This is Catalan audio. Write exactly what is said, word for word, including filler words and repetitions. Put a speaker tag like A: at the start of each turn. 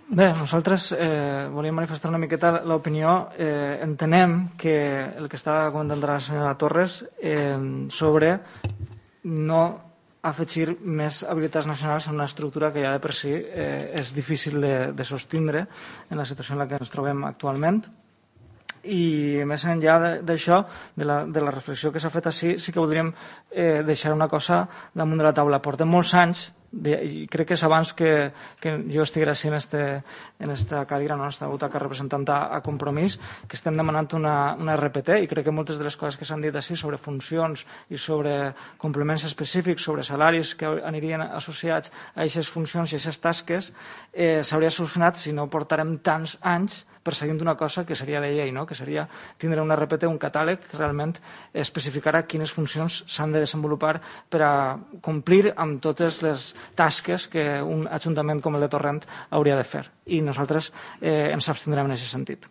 A: Bé, nosaltres eh, volíem manifestar una miqueta l'opinió. Eh, entenem que el que estava comentant la senyora Torres eh, sobre no afegir més habilitats nacionals en una estructura que ja de per si eh, és difícil de, de sostindre en la situació en la que ens trobem actualment. I més enllà d'això, de, la, de la reflexió que s'ha fet així, sí que voldríem eh, deixar una cosa damunt de la taula. Portem molts anys, de, i crec que és abans que, que jo estiguera així en, este, en esta cadira, no, en esta butaca representant a, a Compromís, que estem demanant una, una R P T, i crec que moltes de les coses que s'han dit així sobre funcions i sobre complements específics, sobre salaris que anirien associats a aquestes funcions i a aquestes tasques, eh, s'hauria solucionat si no portarem tants anys perseguint una cosa que seria de llei, no? Que seria tindre una R P T, un catàleg que realment especificarà quines funcions s'han de desenvolupar per a complir amb totes les tasques que un ajuntament com el de Torrent hauria de fer. I nosaltres eh, ens abstindrem en aquest sentit.